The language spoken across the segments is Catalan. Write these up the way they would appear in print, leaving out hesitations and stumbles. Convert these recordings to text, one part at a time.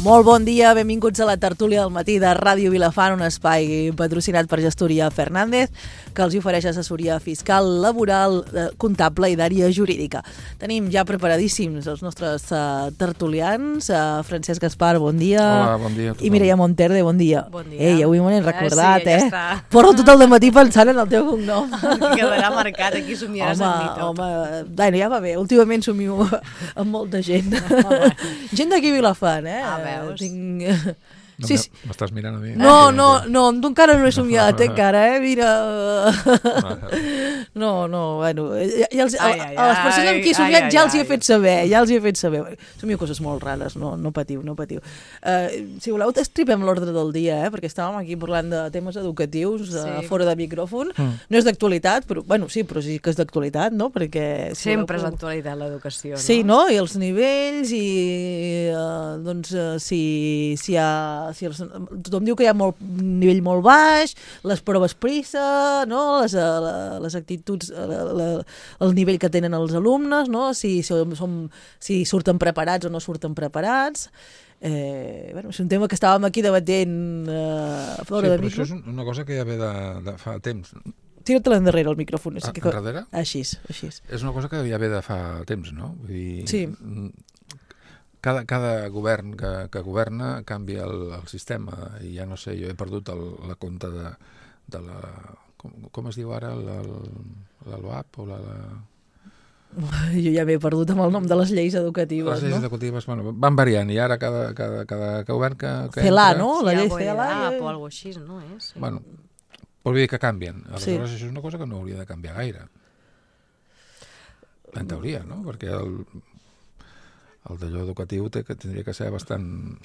Molt bon dia, benvinguts a la tertúlia del matí de Ràdio Vilafant, un espai patrocinat per Gestoria Fernández, que els ofereix assessoria fiscal, laboral, comptable i d'àrea jurídica. Tenim ja preparadíssims els nostres tertulians. Francesc Gaspar, bon dia. Hola, bon dia a tothom. I Mireia Monterde, bon dia. Bon dia. Ei, avui m'ho he recordat, sí, ja està. Porto tot el dematí pensant en el teu cognom. Quedarà marcat, aquí somiaràs amb mi tot. Home, bueno, ja va bé, últimament somio amb molta gent. Gent d'aquí a Vilafant, veus? Sí. M'estàs mirant a mi? No, tu encara no he somiat, encara, mira. Bueno, a les persones amb qui he somiat ja els hi he fet saber, Somio coses molt rares, no patiu. Si voleu, estripem l'ordre del dia, perquè estàvem aquí parlant de temes educatius fora de micròfon. No és d'actualitat, però sí que és d'actualitat, no? Perquè sempre és d'actualitat l'educació, no? Sí, no? I els nivells, i doncs si hi ha... tothom diu que hi ha un nivell molt baix, les proves PISA, no? Les actituds, el nivell que tenen els alumnes, no? Si surten preparats o no surten preparats. És un tema que estàvem aquí debatent fora de micro. Això és una cosa que ja ve de fa temps. Tira-te l'endarrere el micròfon. Enrere? Així. És una cosa que ja ve de fa temps, no? Vull dir, sí. Cada govern que governa canvia el sistema i ja no sé, jo he perdut la compte de la... Com es diu ara? La LOAP o la... Jo ja m'he perdut amb el nom de les lleis educatives, les lleis educatives, van variant i ara cada govern que CELA, entra... no? La llei CELA o alguna cosa així, no és? Bueno, vol dir que canvien. Aleshores, això és una cosa que no hauria de canviar gaire. En teoria, no? Perquè el d'allò educatiu tindria que ser bastant...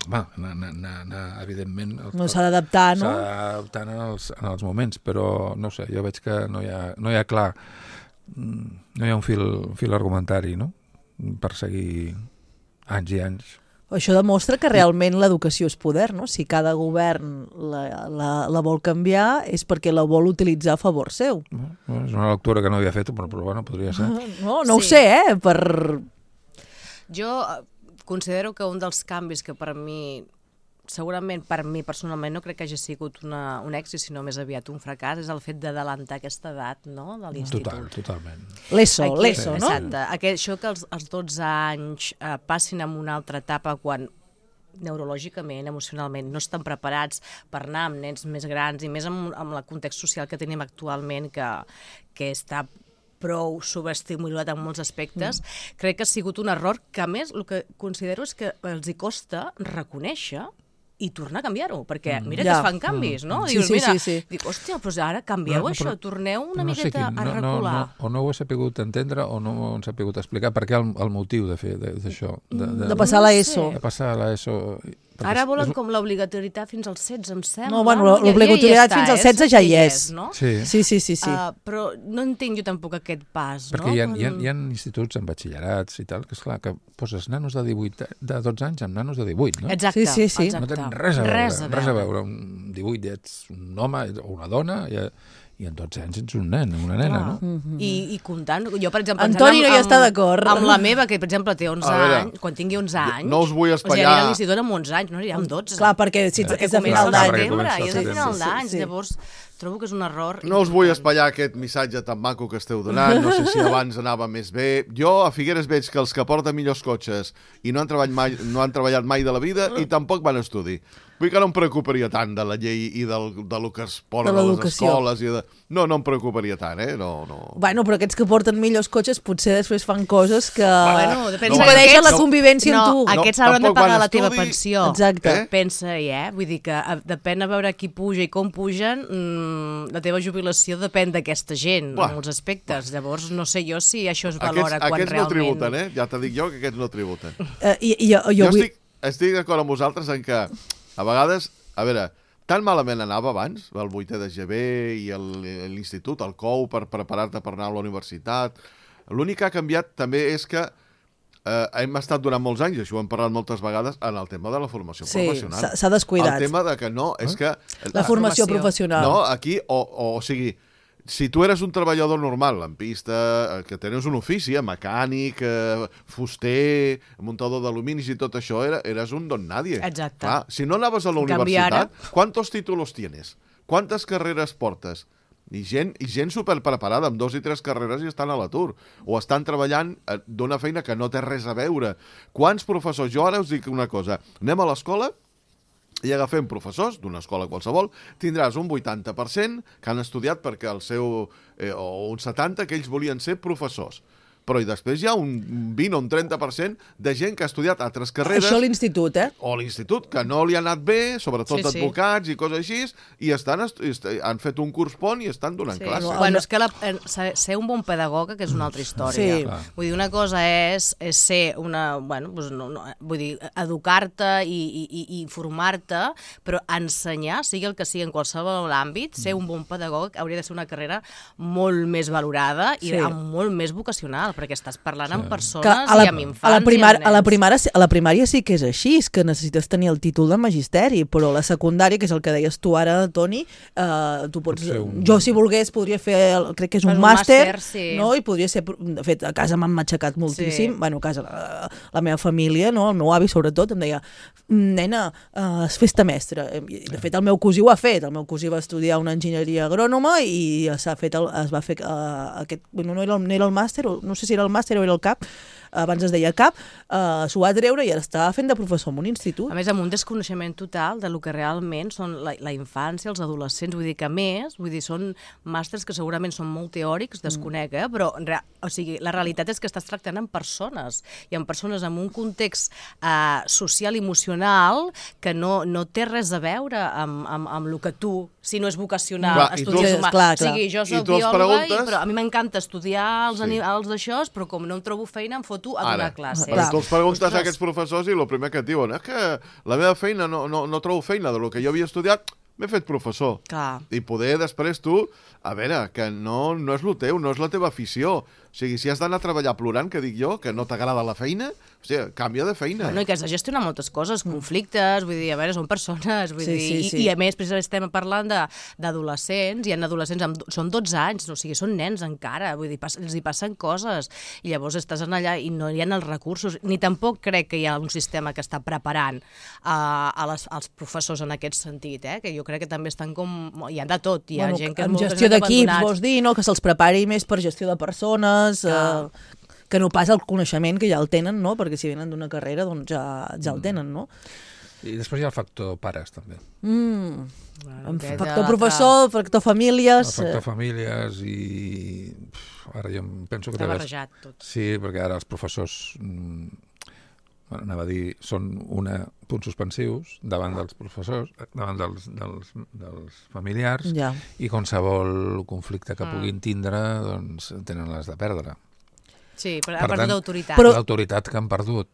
evidentment... S'ha d'adaptar, no? S'ha d'adaptar en els moments, però no sé, jo veig que no hi ha clar, no hi ha un fil argumentari, no? Per seguir anys i anys. Això demostra que realment l'educació és poder, no? Si cada govern la vol canviar és perquè la vol utilitzar a favor seu. És una lectura que no havia fet, però bueno, podria ser. No ho sé, Jo considero que un dels canvis que per mi, segurament per mi personalment, no crec que hagi sigut un èxit, sinó més aviat un fracàs, és el fet d'adelantar aquesta edat, no?, de l'institut. Totalment. L'ESO, no? Exacte. Això que els 12 anys passin a una altra etapa quan neurològicament, emocionalment, no estan preparats per anar amb nens més grans i més amb el context social que tenim actualment, que està prou subestimulat en molts aspectes, crec que ha sigut un error que, a més, el que considero és que els hi costa reconèixer i tornar a canviar-ho, perquè mira que es fan canvis, no? Dius, mira, dic, hòstia, però ara canvieu això, torneu una miqueta a recular. O no ho he sabut entendre o no ho he sabut explicar, perquè el motiu de fer d'això. De passar a l'ESO. De passar a l'ESO. Ara volen com l'obligatorietat fins als 16, em sembla. No, bueno, l'obligatorietat fins als 16 ja hi és. Sí. Però no entenc jo tampoc aquest pas, no? Perquè hi ha instituts amb batxillerats i tal, que esclar, que poses nanos de 12 anys amb nanos de 18, no? Exacte. Sí. No tenen res a veure. Amb 18 ets un home o una dona i en 12 anys ets un nen, una nena, no? I comptant, jo per exemple... Antoni no hi està d'acord. Amb la meva, que per exemple té 11 anys, quan tingui 11 anys... No us vull O espatllar... sigui, anirà a l'institut amb 11 anys, no anirà amb 12. Clar, perquè si és de final d'any. És de final d'any, llavors trobo que és un error... No us vull espatllar aquest missatge tan maco que esteu donant, no sé si abans anava més bé. Jo a Figueres veig que els que porten millors cotxes i no han treballat mai de la vida i tampoc van a estudi. Vull que no em preocuparia tant de la llei i del que es ponen a les escoles. No em preocuparia tant, No. Bueno, però aquests que porten millors cotxes potser després fan coses que impedeixen la convivència amb tu. Aquests hauran de pagar la teva pensió. Exacte. Pensa-hi, Vull dir que depèn a veure qui puja i com pugen, la teva jubilació depèn d'aquesta gent, en molts aspectes. Llavors, no sé jo si això es valora quan realment... Aquests no tributen, Ja t'ho dic jo, que aquests no tributen. Jo estic d'acord amb vosaltres en que a vegades, a veure, tan malament anava abans, el 8è de GB i l'institut, el COU, per preparar-te per anar a la universitat. L'únic que ha canviat també és que hem estat durant molts anys, això ho hem parlat moltes vegades, en el tema de la formació professional. S'ha descuidat. El tema de que no, és que... La formació professional. No, aquí, o sigui, si tu eres un treballador normal, lampista, que tenies un ofici, mecànic, fuster, muntador d'aluminis i tot això, eres un don nadie. Exacte. Clar, si no anaves a la universitat, ¿cuántos títulos tienes? ¿Cuántas carreres portes? I gent superpreparada, amb 2 i 3 carreres i estan a l'atur. O estan treballant d'una feina que no té res a veure. Quants professors? Jo ara us dic una cosa. Anem a l'escola i agafem professors d'una escola qualsevol, tindràs un 80% que han estudiat perquè el seu... o un 70% que ells volien ser professors. Però i després hi ha un 20 o un 30% de gent que ha estudiat altres carreres... Això a l'institut, O a l'institut, que no li ha anat bé, sobretot advocats i coses així, i han fet un curs pont i estan donant classes. Bueno, és que ser un bon pedagoga, que és una altra història. Sí. Vull dir, una cosa és ser una... Bueno, doncs vull dir, educar-te i formar-te, però ensenyar, sigui el que sigui en qualsevol àmbit, ser un bon pedagog hauria de ser una carrera molt més valorada i molt més vocacional, perquè estàs parlant amb persones i amb infants i amb nens. A la primària sí que és així, és que necessites tenir el títol de magisteri, però a la secundària, que és el que deies tu ara, Toni, tu pots... Jo, si volgués, podria fer, crec que és un màster, no? I podria ser... De fet, a casa m'han matxacat moltíssim, bueno, a casa, la meva família, no? El meu avi, sobretot, em deia, nena, fes-te mestre. De fet, el meu cosí ho ha fet. El meu cosí va estudiar una enginyeria agrònoma i es va fer aquest... No era el màster, no sé si era el màster o era el CAP, abans es deia CAP, s'ho va treure i ara està fent de professor en un institut. A més, amb un desconeixement total de lo que realment són la infància, els adolescents, vull dir que a més, són màsters que segurament són molt teòrics, desconec, però o sigui, la realitat és que estàs tractant amb persones, i amb persones amb un context social i emocional que no té res a veure amb el que tu, si no és vocacional, estudies humà. O sigui, jo soc biòloga, però a mi m'encanta estudiar els animals d'això, però com no em trobo feina, em foto a donar classes. Però tu els preguntes a aquests professors i el primer que et diuen és que la meva feina no trobo feina de lo que jo havia estudiat, m'he fet professor. I poder després tu, a veure, que no és el teu, no és la teva afició. O sigui, si has d'anar a treballar plorant, que dic jo, que no t'agrada la feina, o sigui, canvia de feina. Bueno, i que has de gestionar moltes coses, conflictes, vull dir, a veure, són persones, vull dir, i a més, precisament estem parlant d'adolescents, hi ha adolescents, són 12 anys, o sigui, són nens encara, vull dir, els hi passen coses, i llavors estàs allà i no hi ha els recursos, ni tampoc crec que hi ha un sistema que està preparant als professors en aquest sentit, que jo crec que també estan com... Hi ha de tot, hi ha gent que és molt abandonats. Gestió d'equips, vols dir, no? Que se'ls prepari més per gestió de persones, que no pas el coneixement, que ja el tenen, no? Perquè si venen d'una carrera, doncs ja el tenen, no? I després hi ha el factor pares, també. Factor professor, factor famílies... El factor famílies i... Ara jo penso que... Està barrejat tot. Sí, perquè ara els professors... anava a dir, són punts suspensius davant dels professors, davant dels familiars, i qualsevol conflicte que puguin tindre, doncs tenen les de perdre. Sí, però ha perdut autoritat. L'autoritat que han perdut,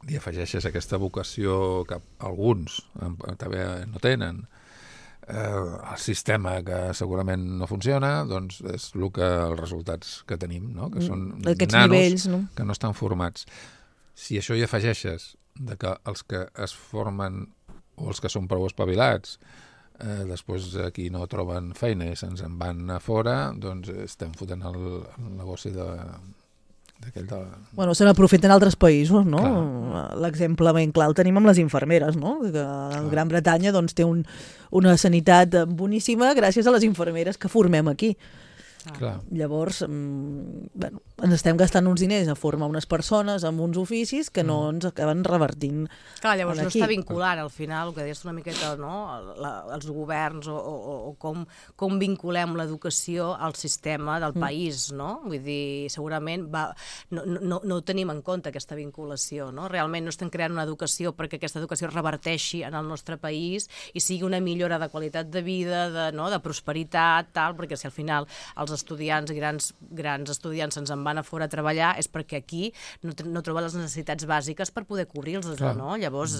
i afegeixes aquesta vocació que alguns també no tenen, el sistema que segurament no funciona, doncs és els resultats que tenim, no? Que són nanos que no estan formats. Si això hi afegeixes que els que es formen o els que són prou espavilats després aquí no troben feina i se'ns en van a fora, doncs estem fotent el negoci d'aquell de... Bueno, se n'aprofiten altres països, no? L'exemple ben clar el tenim amb les infermeres, no? Que a Gran Bretanya doncs, té una sanitat boníssima gràcies a les infermeres que formem aquí. Llavors, ens estem gastant uns diners a formar unes persones amb uns oficis que no ens acaben revertint. Llavors no està vinculant al final, el que deies una miqueta, els governs o com vinculem l'educació al sistema del país, no? Vull dir, segurament no tenim en compte aquesta vinculació, no? Realment no estem creant una educació perquè aquesta educació reverteixi en el nostre país i sigui una millora de qualitat de vida, de prosperitat, perquè si al final els estudiants, grans estudiants se'ns en van a fora a treballar és perquè aquí no troben les necessitats bàsiques per poder cobrir-los, no? Llavors,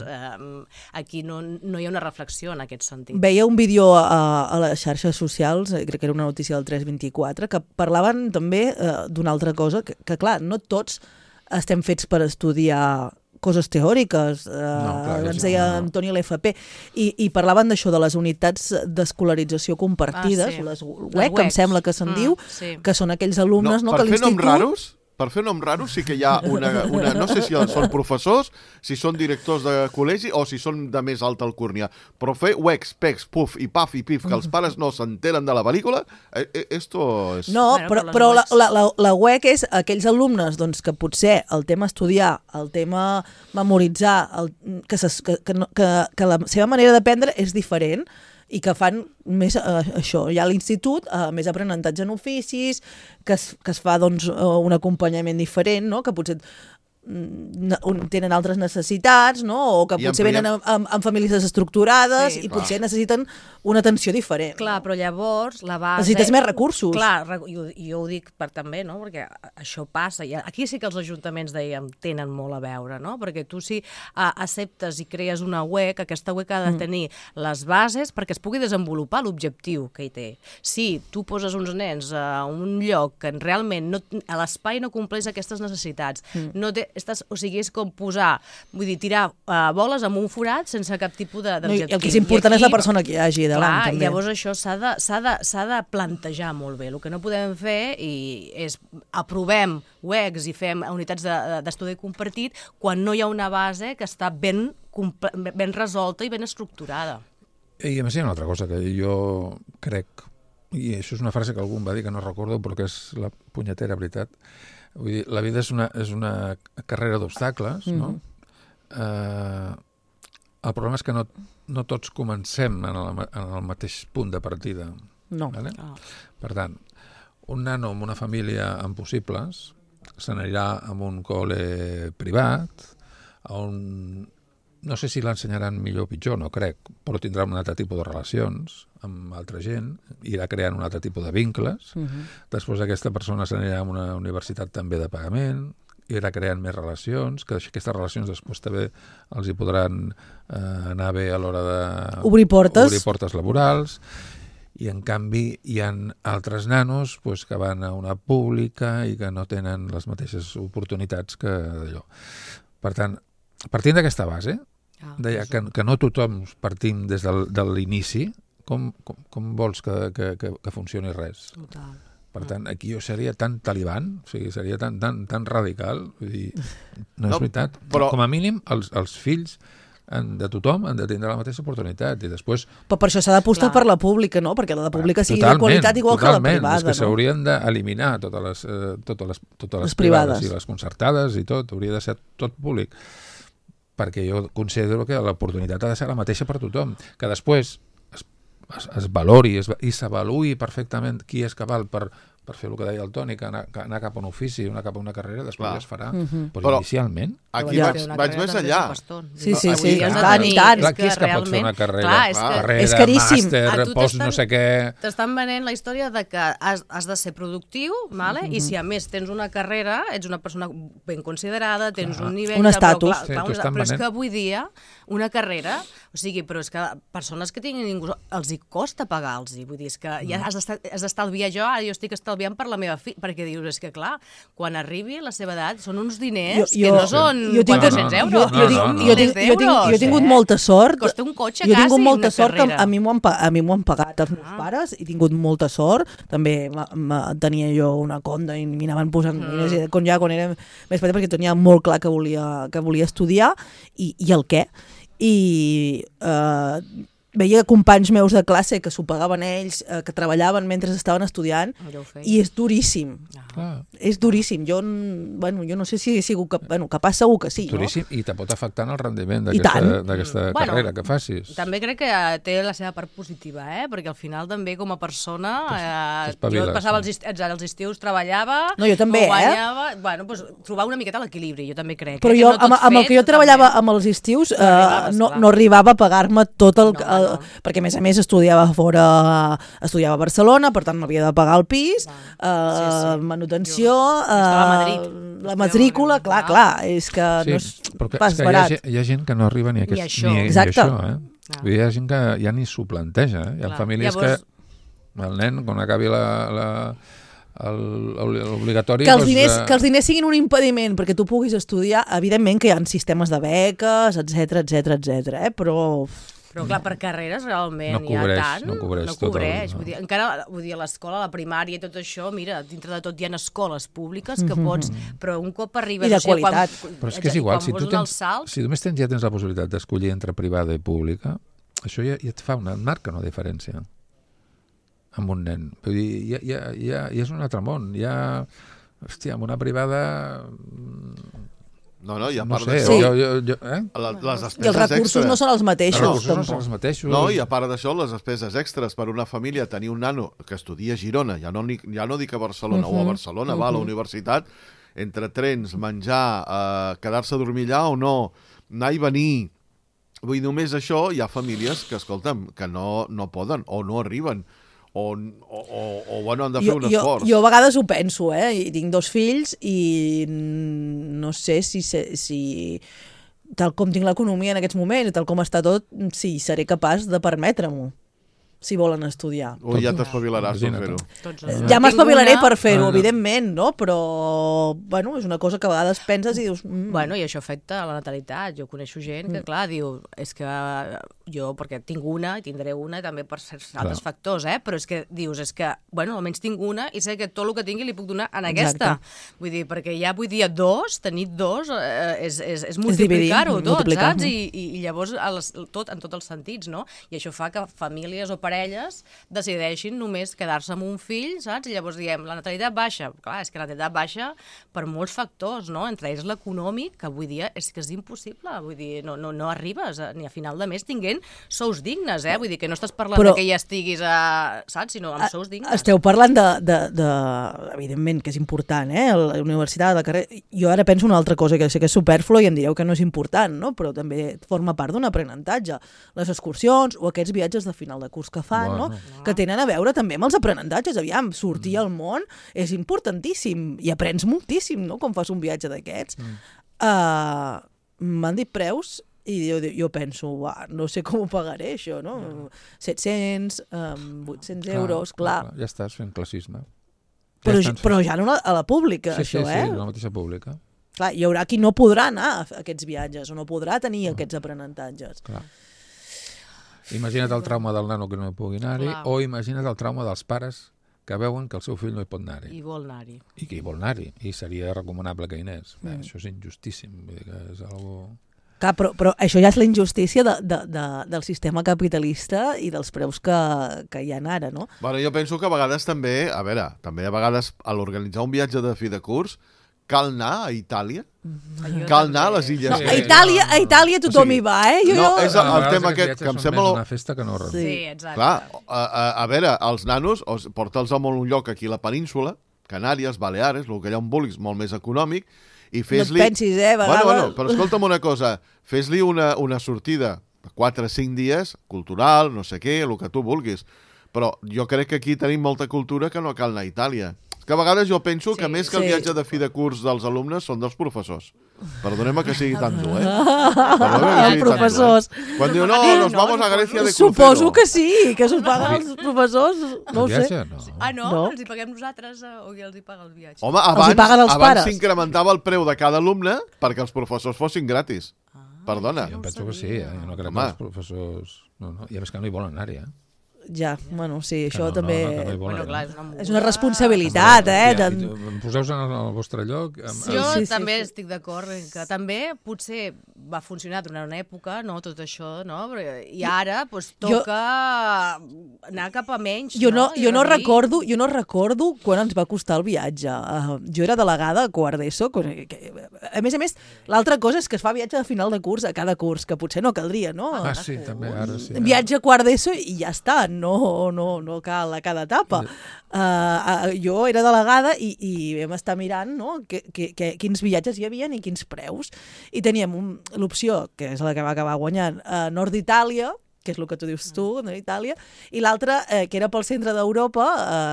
aquí no hi ha una reflexió en aquest sentit. Veia un vídeo a les xarxes socials, crec que era una notícia del 324, que parlaven també d'una altra cosa, que clar, no tots estem fets per estudiar coses teòriques, clar, ens deia Antoni l'FP, i parlaven d'això, de les unitats d'escolarització compartides, les UEC, que em sembla que se'n diu, que són aquells alumnes que per l'institut... Per fer noms raros sí que hi ha una... No sé si són professors, si són directors de col·legi o si són de més alta alcúrnia, però fer UECs, PECs, PUF i PAF i PIF, que els pares no s'enteren de la pel·lícula, esto és... No, però la UEC és aquells alumnes que potser el tema estudiar, el tema memoritzar, que la seva manera d'aprendre és diferent, i que fan més això, ja a l'institut, més aprenentatge en oficis, que es fa un acompanyament diferent, no? Que potser tenen altres necessitats, no? O que potser venen amb famílies desestructurades i potser necessiten una atenció diferent. Clar, però llavors la base... Necessites més recursos. Clar, jo ho dic també, no? Perquè això passa. Aquí sí que els ajuntaments, dèiem, tenen molt a veure, no? Perquè tu si acceptes i crees una UEC, aquesta UEC ha de tenir les bases perquè es pugui desenvolupar l'objectiu que hi té. Si tu poses uns nens a un lloc que realment a l'espai no compleix aquestes necessitats, no té, o sigui, és com posar, vull dir, tirar boles amb un forat sense cap tipus d'objectiu. El que és important és la persona que hi hagi davant, també. Llavors això s'ha de plantejar molt bé. El que no podem fer és aprovem UECs i fem unitats d'estudi compartit quan no hi ha una base que està ben resolta i ben estructurada. I a més hi ha una altra cosa que jo crec, i això és una frase que algú em va dir que no recordo, però que és la punyetera veritat. Vull dir, la vida és una carrera d'obstacles, no? El problema és que no tots comencem en el mateix punt de partida. No. Vale? Per tant, un nano amb una família amb possibles se n'anirà a un col·le privat, on no sé si l'ensenyaran millor o pitjor, no crec, però tindrà un altre tipus de relacions amb altra gent, irà creant un altre tipus de vincles. Després aquesta persona s'anirà a una universitat també de pagament, irà creant més relacions, que aquestes relacions després també els hi podran anar bé a l'hora de obrir portes laborals, i en canvi hi ha altres nanos que van a una pública i que no tenen les mateixes oportunitats que d'allò. Per tant, partint d'aquesta base, deia que no tothom partim des de l'inici, com vols que funcioni res? Total. Per tant, aquí jo seria tan talibán, o sigui, seria tan radical, vull dir, no és veritat. Però... Com a mínim, els fills de tothom han de tindre la mateixa oportunitat i després... Però per això s'ha d'apostar per la pública, no? Perquè la pública sigui de qualitat igual que la privada. És que s'haurien d'eliminar totes les privades i les concertades i tot, hauria de ser tot públic, perquè jo considero que l'oportunitat ha de ser la mateixa per tothom, que després es valori i s'avaluï perfectament qui és cabal per fer el que deia el Toni, que anar cap a un ofici, anar cap a una carrera, després ja es farà. Però inicialment... Aquí vaig més enllà. Sí. Tant. Qui és que pot fer una carrera? És caríssim. Màster, post no sé què... T'estan venent la història de que has de ser productiu, i si a més tens una carrera, ets una persona ben considerada, tens un nivell... Un estatus. Però és que avui dia una carrera, però és que persones que tinguin ningú, els hi costa pagar-los, vull dir, és que ja has d'estalviar jo estic estalviant per la meva filla, perquè dius, és que clar, quan arribi a la seva edat són uns diners que no són 400 euros, són milers d'euros. Jo he tingut molta sort. Costa un cotxe quasi, una carrera. Jo he tingut molta sort que a mi m'ho han pagat els meus pares, he tingut molta sort, també tenia jo una conda i m'anaven posant diners, quan era més petit, perquè tenia molt clar que volia estudiar i el què. I veia companys meus de classe que s'ho pagaven ells, que treballaven mentre estaven estudiant, i és duríssim. És duríssim. Jo no sé si he sigut capaç, segur que sí. Duríssim, i te pot afectar en el rendiment d'aquesta carrera que facis. També crec que té la seva part positiva, perquè al final també com a persona jo passava els estius, treballava, jo també, guanyava, trobar una miqueta l'equilibri, jo també crec. Però jo, amb el que jo treballava amb els estius, no arribava a pagar-me tot el... Perquè a més estudiava fora, estudiava a Barcelona, per tant m'havia de pagar el pis, manutenció, la matrícula, clar, és que no és pas barat. Hi ha gent que no arriba ni a això. Hi ha gent que ja ni s'ho planteja. Hi ha famílies que el nen, quan acabi l'obligatori... Que els diners siguin un impediment perquè tu puguis estudiar, evidentment que hi ha sistemes de beques, etc, però... Però clar, per carreres realment no cobreix, hi ha tant, no cobreix. Vull dir, encara, vull dir, a l'escola, a la primària i tot això, mira, dintre de tot hi ha escoles públiques que pots, però un cop arribes... I de qualitat. Però és que és igual, si només ja tens la possibilitat d'escollir entre privada i pública, això ja et marca una diferència amb un nen. Vull dir, ja és un altre món. Hòstia, amb una privada... No, i a no part sé, d'això... Les despeses I els recursos extres. no són els mateixos. Els recursos no són els mateixos. No, i a part d'això, les despeses extres per una família, tenir un nano que estudia a Girona, ja no dic a Barcelona, o a Barcelona, va a la universitat, entre trens, menjar, quedar-se a dormir allà o no, anar i venir... Vull dir, només això, hi ha famílies que, escolta'm, que no poden o no arriben. O bueno, han de fer un esforç. Jo a vegades ho penso, i tinc 2 fills i no sé si tal com tinc l'economia en aquests moments, tal com està tot, si seré capaç de permetre-m'ho, si volen estudiar. O ja t'espavilaràs per fer-ho. Ja m'espavilaré per fer-ho, evidentment, no? Però, bueno, és una cosa que a vegades penses i dius... Bueno, i això afecta a la natalitat. Jo coneixo gent que, clar, diu, és que jo, perquè tinc una i tindré una, també per certs altres factors, però és que dius, bueno, almenys tinc una i sé que tot el que tingui li puc donar en aquesta. Vull dir, perquè ja, tenir 2 és multiplicar-ho tot, saps? I llavors, en tots els sentits, no? I això fa que famílies o parelles decideixin només quedar-se amb un fill, saps? I llavors diem, la natalitat baixa. Clar, és que la natalitat baixa per molts factors, no? Entre ells l'econòmic, que avui dia és que és impossible. Vull dir, no arribes ni a final de mes tinguent sous dignes, Vull dir que no estàs parlant de que ja estiguis saps? Sinó amb sous dignes. Esteu parlant de evidentment, que és important, la universitat, la carrera... Jo ara penso una altra cosa, que sé que és superflua i em direu que no és important, no? Però també forma part d'un aprenentatge. Les excursions o aquests viatges de final de curs que fan, no? Que tenen a veure també amb els aprenentatges. Aviam, sortir al món és importantíssim i aprens moltíssim, no?, quan fas un viatge d'aquests. M'han dit preus i jo penso, no sé com ho pagaré, això, no? 700, 800 euros, clar. Ja estàs fent classisme. Però ja no a la pública, això, Sí, a la mateixa pública. Clar, hi haurà qui no podrà anar a aquests viatges o no podrà tenir aquests aprenentatges. Clar. Imagina't el trauma del nano que no pugui anar-hi, o imagina't el trauma dels pares que veuen que el seu fill no hi pot anar-hi. I vol anar-hi. I que hi vol anar-hi. I seria recomanable que hi anés. Això és injustíssim. Vull dir que és algo... Clar, però això ja és la injustícia del sistema capitalista i dels preus que hi ha ara, no? Bueno, jo penso que a vegades també, a vegades a l'organitzar un viatge de fi de curs cal anar a Itàlia? Cal anar a les illes? No, a Itàlia tothom hi va, No, és el tema aquest que em sembla... una festa que no res. Sí, exacte. Clar, a veure, els nanos, porta'ls a un lloc aquí a la península, Canàries, Baleares, el que allà on vulguis, molt més econòmic, i fes-li... No et pensis, a vegades... Bueno, però escolta'm una cosa, fes-li una sortida de 4 o 5 dies, cultural, no sé què, el que tu vulguis. Però jo crec que aquí tenim molta cultura que no cal anar a Itàlia. Que a vegades jo penso que més que el viatge de fi de curs dels alumnes són dels professors. Perdoneu-me que sigui tan dur, Els professors. Quan diu, no, nos vamos a Grècia de crucero. Suposo que sí, que s'ho paguen els professors, no ho sé. No? Els hi paguem nosaltres o qui els hi paga el viatge? Home, abans s'incrementava el preu de cada alumne perquè els professors fossin gratis. Perdona. Jo penso que sí, jo no crec que els professors... No. I a més que no hi volen anar-hi, Ja, bueno, sí, això també... Bueno, clar, és una responsabilitat, Poseu-vos en el vostre lloc. Jo també estic d'acord que també potser va funcionar durant una època, no, tot això, no? I ara toca anar cap a menys, jo no recordo quan ens va costar el viatge. Jo era delegada a quart d'ESO. A més, l'altra cosa és que es fa viatge de final de curs a cada curs, que potser no caldria, no? Sí, també, ara sí. Viatge a quart d'ESO i ja està, no cal a cada etapa. Jo era delegada i vam estar mirant, no, quins viatges hi havia i quins preus. I teníem l'opció, que és la que va acabar guanyant, nord d'Itàlia, que és el que tu dius tu, no, Itàlia, i l'altra, que era pel centre d'Europa,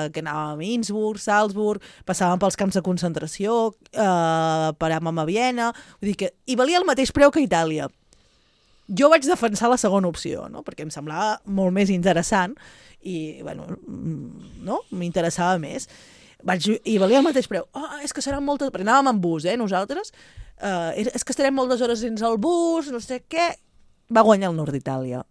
que anàvem a Innsbruck, Salzburg, passàvem pels camps de concentració, paràvem a Viena, vull dir que hi valia el mateix preu que a Itàlia. Jo vaig defensar la segona opció, no? Perquè em semblava molt més interessant i, bueno, no? M'interessava més. I valia el mateix preu. És que seran moltes... Perquè anàvem en bus, nosaltres. És que estarem moltes hores dins el bus, no sé què. Va guanyar el Nord d'Itàlia.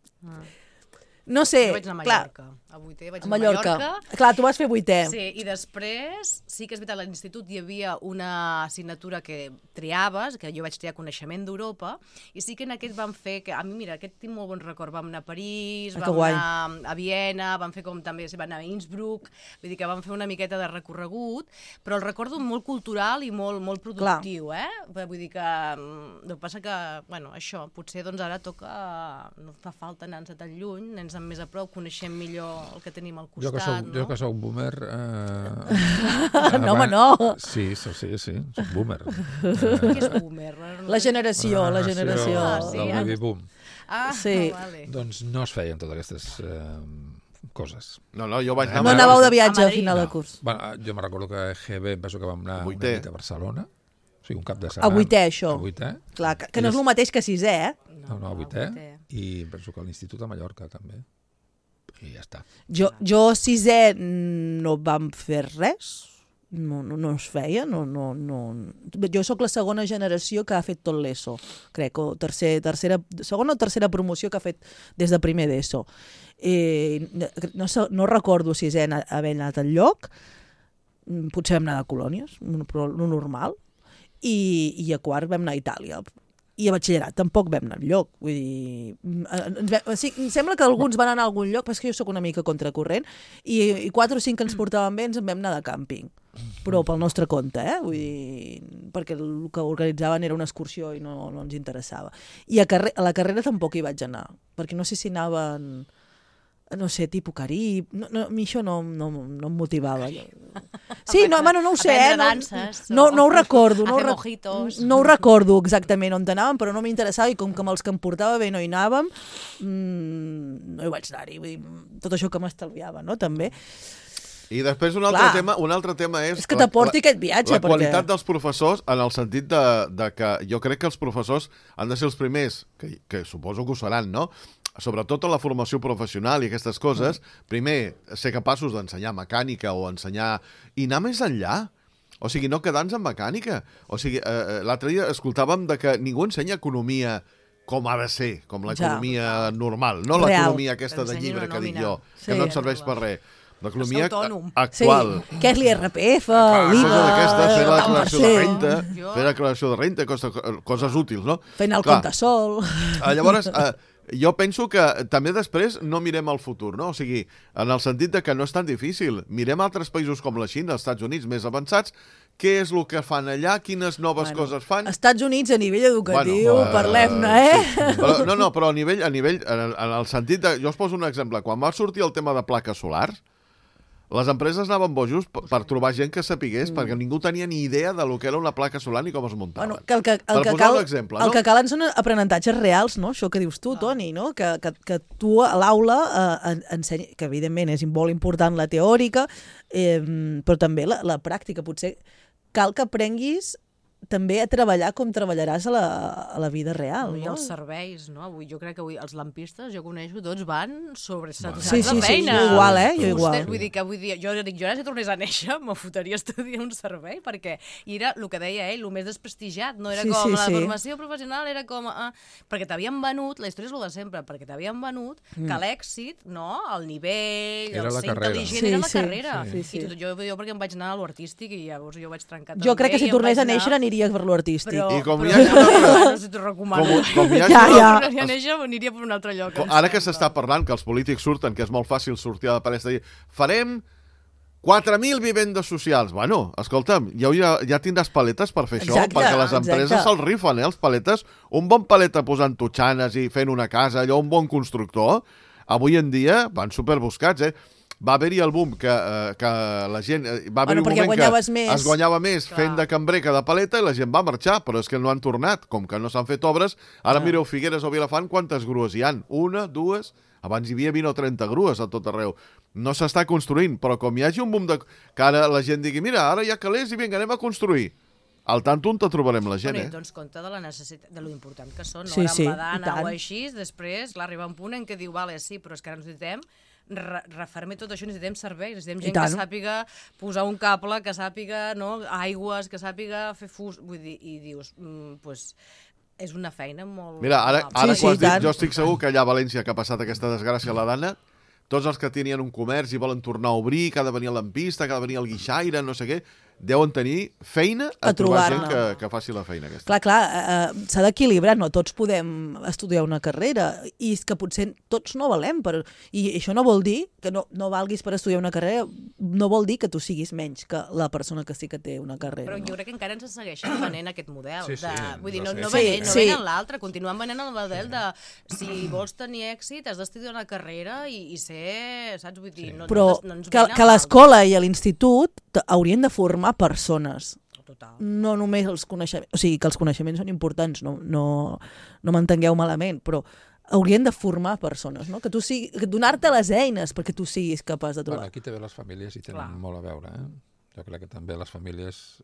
No sé, jo vaig anar a clar... Mallorca. A vuitè vaig anar a Mallorca. Clar, tu vas fer vuitè. Sí, i després, sí que és veritat, a l'institut hi havia una assignatura que triaves, que jo vaig triar Coneixement d'Europa, i sí que en aquest vam fer, que a mi, mira, aquest tinc molt bon record, vam anar a París, vam anar a Viena, vam fer com també, vam anar a Innsbruck, vull dir que vam fer una miqueta de recorregut, però el recordo molt cultural i molt productiu, Vull dir que, el que passa que, bueno, això, potser doncs ara toca, no fa falta anar-nos tan lluny, anar-nos més a prop, coneixem millor el que tenim al costat, Jo que soc boomer... No, home, no. Sí, soc boomer. Què és boomer? La generació. Sí, del baby boom. Sí. Vale. Doncs no es feien totes aquestes coses. No, jo vaig anar... No anàveu de viatge a final de curs. Bueno, jo me recordo que a EGB penso que vam anar una nit a Barcelona, o sigui, un cap de setmana. A vuitè, això. A vuitè. Clar, que no és el mateix que sisè, No, a vuitè. I penso que a l'Institut de Mallorca també. I ja està. Jo sisè no vam fer res, no es feia, no. Jo sóc la segona generació que ha fet tot l'ESO, crec, o segona o tercera promoció que ha fet des de primer d'ESO. No recordo sisè haver anat al lloc, potser vam anar de colònies, però lo normal, i a quart vam anar a Itàlia. I a batxillerat tampoc vam anar enlloc. Vull dir, em sembla que alguns van anar a algun lloc, però és que jo sóc una mica contracorrent, i 4 o 5 que ens portaven bé ens en vam anar de càmping. Però pel nostre compte, Vull dir, perquè el que organitzaven era una excursió i no ens interessava. I a la carrera tampoc hi vaig anar, perquè no sé si anaven... no sé, tipus Carib... a mi això no em motivava. Sí, no ho sé, no ho recordo. No ho recordo exactament on anàvem, però no m'interessava, i com que amb els que em portava bé no hi anàvem, no hi vaig anar-hi. Vull dir, tot això que m'estalviava, no?, també. I després un altre tema és... És que t'aporti aquest viatge. La qualitat dels professors, en el sentit de que jo crec que els professors han de ser els primers, que suposo que ho seran, no?, sobretot en la formació professional i aquestes coses, primer, ser capaços d'ensenyar mecànica o ensenyar... i anar més enllà. O sigui, no quedar-nos en mecànica. O sigui, l'altre dia escoltàvem de que ningú ensenya economia com ha de ser, com l'economia normal, no l'economia aquesta de llibre que dic jo, que no et serveix per res. L'economia actual. Sí, què és l'IRPF, l'IVA... Fer la declaració de renta, fer la declaració de renta, coses útils, no? Fent el compte sol... Llavors... jo penso que també després no mirem el futur, no? O sigui, en el sentit de que no és tan difícil. Mirem altres països com la Xina, els Estats Units més avançats, què és el que fan allà, quines noves coses fan. Estats Units a nivell educatiu, parlem-ne, Sí. Però a nivell, en el sentit de... Jo us poso un exemple. Quan va sortir el tema de plaques solars, les empreses anaven bojos per trobar gent que sapigués, perquè ningú tenia ni idea de lo que era una placa solar ni com es muntava. Bueno, el que calen són aprenentatges reals, no? Això que dius tu, Toni, no? Que tu a l'aula ensenyis, que evidentment és molt important la teòrica, però també la pràctica. Potser cal que aprenguis també a treballar com treballaràs a la vida real, no? I els serveis, no? Jo crec que avui els lampistes, jo coneixo, tots van sobresaturats de feina. Sí, igual, Jo igual. Vull dir que jo ara si tornés a néixer me fotria estudiar un servei, perquè era el que deia ell, el més desprestigiat, no era com la formació professional, era com... perquè t'havien venut, la història és el de sempre, perquè t'havien venut que l'èxit, no? El nivell, el ser intel·ligent era la carrera. I jo perquè em vaig anar a l'artístic i llavors jo vaig trencar també. Jo crec que si tornés a néixer aniria per l'artístic. I com hi ha... No sé, t'ho recomano. Aniria per un altre lloc. Ara que s'està parlant, que els polítics surten, que és molt fàcil sortir a la palestra i dir farem 4.000 vivendes socials. Bueno, escolta'm, ja tindràs paletes per fer això, perquè les empreses se'ls rifen, els paletes. Un bon paleta posant totxanes i fent una casa, allò, un bon constructor, avui en dia van superbuscats, Va haver-hi el boom que la gent... Va haver-hi un moment que es guanyava més fent de cambrer que de paleta i la gent va marxar, però és que no han tornat. Com que no s'han fet obres, ara mireu Figueres o Vilafant quantes grues hi han. 1, 2... Abans hi havia 20 o 30 grues a tot arreu. No s'està construint, però com hi hagi un boom que ara la gent digui mira, ara hi ha calés i vinga, anem a construir. Al tant on te trobarem la gent, Doncs compte de la necessitat, de lo important que són, no? Ara en badana o així, després, clar, arriba un punt en què diu, vale, sí, però és que ara necessitem refermar tot això, necessitem serveis, necessitem gent que sàpiga posar un cable, que sàpiga, no, aigües, que sàpiga fer fus, vull dir, i dius, pues, és una feina molt... Mira, ara Sí, quan has dit, tant. jo estic segur que allà a València, que ha passat aquesta desgràcia a la Dana, tots els que tenien un comerç i volen tornar a obrir, que ha de venir el lampista, que ha de venir el guixaire, no sé què, deuen tenir feina a trobar gent que faci la feina aquesta. Clar, s'ha d'equilibrar, no tots podem estudiar una carrera, i és que potser tots no valem, i això no vol dir que no valguis per estudiar una carrera, no vol dir que tu siguis menys que la persona que sí que té una carrera. Però jo crec que encara ens segueixen venent aquest model. Sí, sí, Vull dir, no sí. venen l'altre, continuen venent el model de si vols tenir èxit has d'estudiar una carrera i ser, saps? Vull dir, no ens que l'escola i l'esinstitut haurien de formar persones. Total. No només els coneixements, o sigui, que els coneixements són importants, no m'entengueu malament, però haurien de formar persones, no? Que donar-te les eines perquè tu siguis capaç de trobar. Bueno, aquí també les famílies hi tenen molt a veure. Jo crec que també les famílies,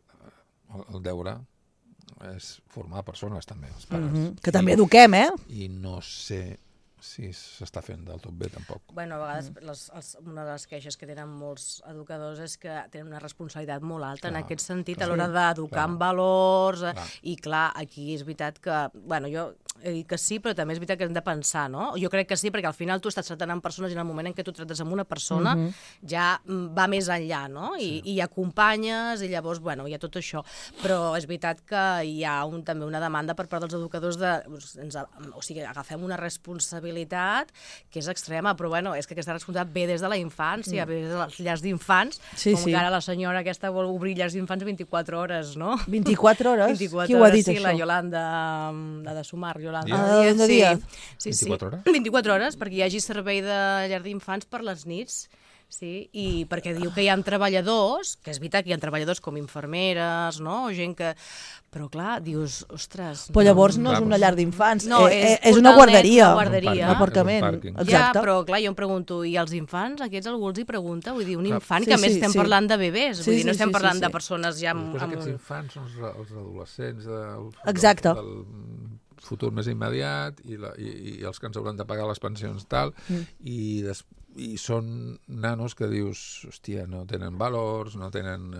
el deure és formar persones també, els pares. Que també eduquem, I no sé si s'està fent del tot bé, tampoc. Bueno, a vegades una de les queixes que tenen molts educadors és que tenen una responsabilitat molt alta en aquest sentit a l'hora d'educar en valors i clar, aquí és veritat que, bueno, jo he dit que sí, però també és veritat que hem de pensar, no? Jo crec que sí, perquè al final tu estàs tractant amb persones i en el moment en què tu trates amb una persona ja va més enllà, no? I acompanyes i llavors, bueno, hi ha tot això. Però és veritat que hi ha també una demanda per part dels educadors o sigui, agafem una responsabilitat que és extrema, però bueno, és que aquesta responsabilitat ve des de la infància, ve des de les llars d'infants, com que ara la senyora aquesta vol obrir llars d'infants 24 hores, no? 24 hores? 24 Qui ho ha dit, sí, això? la Yolanda, la de Sumar, Yolanda Díaz. Sí. 24 hores? 24 hores, perquè hi hagi servei de llar d'infants per les nits. Sí, i perquè diu que hi ha treballadors, que és veritat que hi ha treballadors com infermeres, no? Gent que... Però clar, dius, ostres... Però llavors no és una llar d'infants, no, és una guarderia. Una guarderia. Un aparcament. Ja, Exacte. però clar, jo em pregunto, i els infants, aquests algú els hi pregunta? Vull dir, un infant, que a més estem parlant de bebès, vull dir, no estem parlant de persones ja amb... Després aquests infants són els adolescents del futur més immediat i els que ens hauran de pagar les pensions tal, i són nanos que dius, hòstia, no tenen valors, no tenen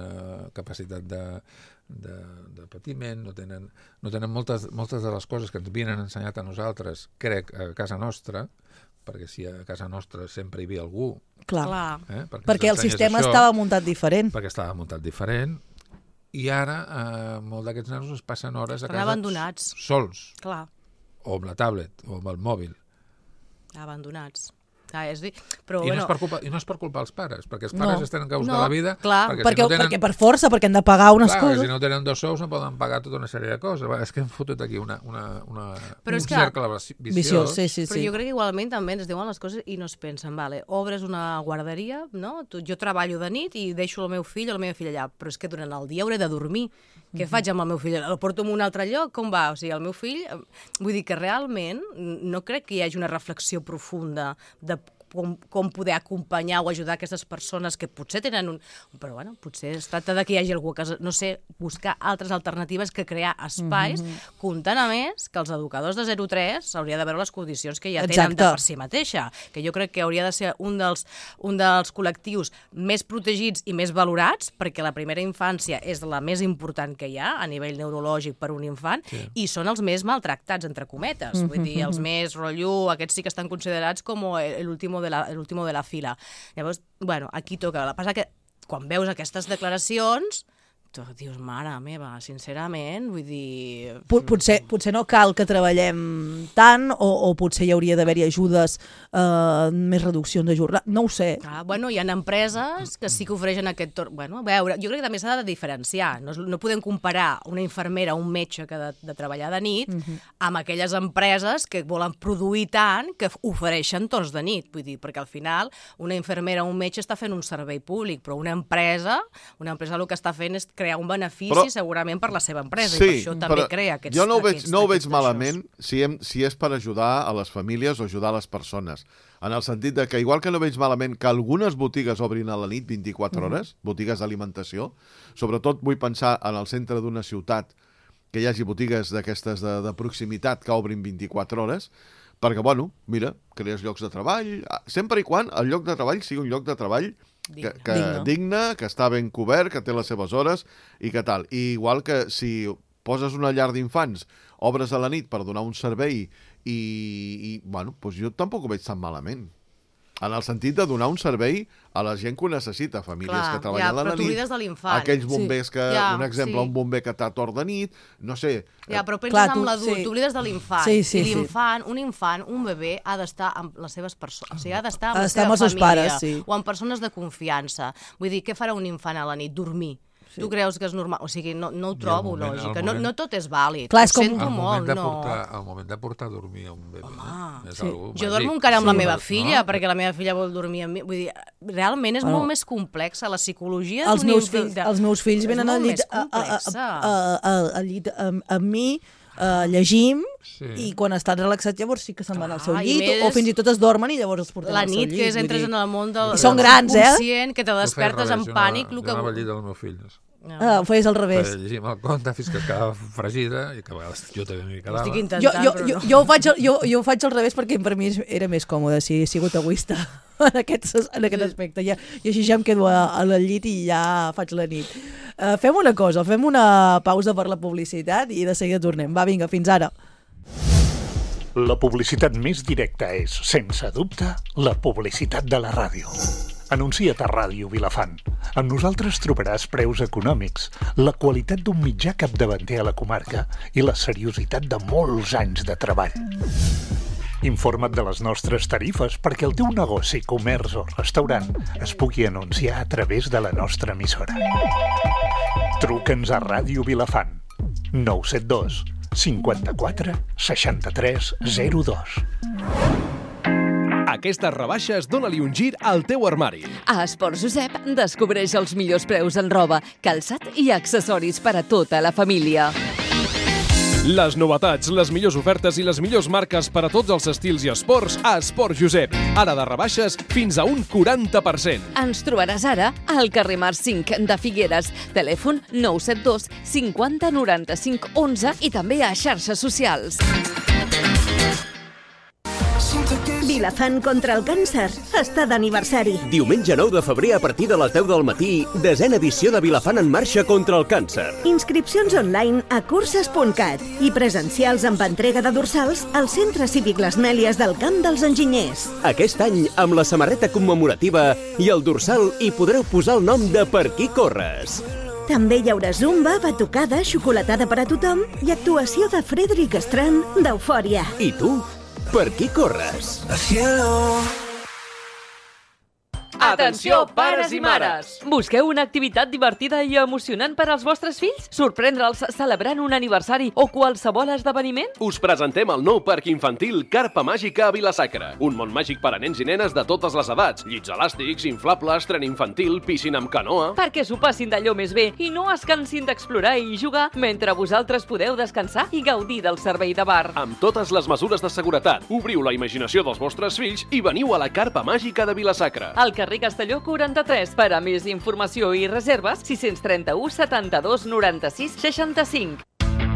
capacitat de patiment, no tenen moltes de les coses que ens havien ensenyat a nosaltres, crec, a casa nostra, perquè si a casa nostra sempre hi havia algú... Clar. Perquè el sistema estava muntat diferent. Perquè estava muntat diferent, i ara molts d'aquests nanos es passen hores a casa abandonats. Sols. Clar. O amb la tablet, o amb el mòbil. Abandonats. Però, I no és per culpa dels pares, perquè els pares estan en caus de la vida, perquè per força, perquè han de pagar unes coses. Si no tenen 2 sous no poden pagar tota una sèrie de coses. És que hem fotut aquí un cercle viciós. Sí. Però jo crec que igualment també ens diuen les coses i no es pensen, vale, obres una guarderia, no? Jo treballo de nit i deixo el meu fill o la meva filla allà, però és que durant el dia hauré de dormir. Què faig amb el meu fill? El porto a un altre lloc? Com va? O sigui, el meu fill... Vull dir que realment no crec que hi hagi una reflexió profunda de com poder acompanyar o ajudar aquestes persones que potser tenen un... Però, bueno, potser es tracta de que hi hagi algú que, no sé, buscar altres alternatives que crear espais, comptant a més que els educadors de 0-3 hauria de veure les condicions que ja tenen de per si mateixa, que jo crec que hauria de ser un dels col·lectius més protegits i més valorats, perquè la primera infància és la més important que hi ha a nivell neurològic per un infant, i són els més maltractats, entre cometes. Vull dir, els més rotllo, aquests sí que estan considerats com l'último de la fila. Llavors, bueno, aquí toca. El que passa que quan veus aquestes declaracions tu dius, mare meva, sincerament, vull dir... Potser no cal que treballem tant o potser hi hauria d'haver-hi ajudes, més reduccions de jornada, no ho sé. Bueno, hi ha empreses que sí que ofereixen aquest torn. Bueno, a veure, jo crec que també s'ha de diferenciar. No podem comparar una infermera o un metge que ha de treballar de nit amb aquelles empreses que volen produir tant que ofereixen torns de nit. Vull dir, perquè al final una infermera o un metge està fent un servei públic, però una empresa el que està fent és crear un benefici segurament per la seva empresa, i per això també crea aquests... Jo no ho veig malament si és per ajudar a les famílies o ajudar a les persones, en el sentit de que igual que no veig malament que algunes botigues obrin a la nit 24 hores, botigues d'alimentació, sobretot vull pensar en el centre d'una ciutat que hi hagi botigues d'aquestes de proximitat que obrin 24 hores, perquè, bueno, mira, crees llocs de treball, sempre i quan el lloc de treball sigui un lloc de treball digne, que està ben cobert, que té les seves hores i que tal. I igual que si poses una llar d'infants, obres a la nit per donar un servei i bueno, doncs jo tampoc ho veig tan malament. En el sentit de donar un servei a la gent que ho necessita, famílies que treballen a la nit, aquells bombers que, un exemple, un bomber que t'ha tort de nit, no sé. Ja, però penses en l'adult, t'oblides de l'infant. I l'infant, un bebè, ha d'estar amb les seves persones, o sigui, ha d'estar amb la seva família, o amb persones de confiança. Vull dir, què farà un infant a la nit? Dormir. Tu creus que és normal? O sigui, no ho trobo lògica. No tot és vàlid. Clar, ho sento molt, no. El moment de portar a dormir a un bebè. Jo dormo encara amb la meva filla, perquè la meva filla vol dormir amb mi. Vull dir, realment és molt més complexa. La psicologia d'un infant... Els meus fills venen al llit amb mi, llegim, i quan estan relaxats llavors sí que se'n van al seu llit, o fins i tot es dormen i llavors els portem al seu llit. La nit que entres en el món del subconscient, que te despertes en pànic. Jo anava al llit del meu fill. Ho feies al revés. Llegim el conte fins que es quedava fregida i que a vegades jo també m'hi quedava. Estic intentant, jo ho faig al revés perquè per mi era més còmode si he sigut egoista en aquest aspecte. I així ja em quedo al llit i ja faig la nit. Fem una cosa, fem una pausa per la publicitat i de seguida tornem. Va, vinga, fins ara. La publicitat més directa és, sense dubte, la publicitat de la ràdio. Anuncia't a Ràdio Vilafant. Amb nosaltres trobaràs preus econòmics, la qualitat d'un mitjà capdavanter a la comarca i la seriositat de molts anys de treball. Informa't de les nostres tarifes perquè el teu negoci, comerç o restaurant es pugui anunciar a través de la nostra emissora. Truca'ns a Ràdio Vilafant. 972 54 63 02. Aquestes rebaixes dóna-li un gir al teu armari. A Esports Josep descobreix els millors preus en roba, calçat i accessoris per a tota la família. Les novetats, les millors ofertes i les millors marques per a tots els estils i esports a Esports Josep. Ara de rebaixes fins a un 40%. Ens trobaràs ara al carrer Mar 5 de Figueres. Telèfon 972 50 95 11 i també a xarxes socials. Vilafant contra el càncer està d'aniversari. Diumenge 9 de febrer a partir de les 10 del matí, 10ª edició de Vilafant en marxa contra el càncer. Inscripcions online a curses.cat i presencials amb entrega de dorsals al Centre Cívic Les Mèlies del Camp dels Enginyers. Aquest any, amb la samarreta commemorativa i el dorsal hi podreu posar el nom de Per qui corres. També hi haurà zumba, batucada, xocolatada per a tothom i actuació de Frederic Strand d'Eufòria. I tu? Per qui corres? Atenció, pares i mares! Busqueu una activitat divertida i emocionant per als vostres fills? Sorprendre'ls celebrant un aniversari o qualsevol esdeveniment? Us presentem el nou parc infantil Carpa Màgica a Vila-sacra. Un món màgic per a nens i nenes de totes les edats. Llits elàstics, inflables, tren infantil, piscina amb canoa... Perquè s'ho passin d'allò més bé i no es cansin d'explorar i jugar mentre vosaltres podeu descansar i gaudir del servei de bar. Amb totes les mesures de seguretat. Obriu la imaginació dels vostres fills i veniu a la Carpa Màgica de Vila-sacra. Al carrer Castelló 43. Per a més informació i reserves, 631 72 96 65.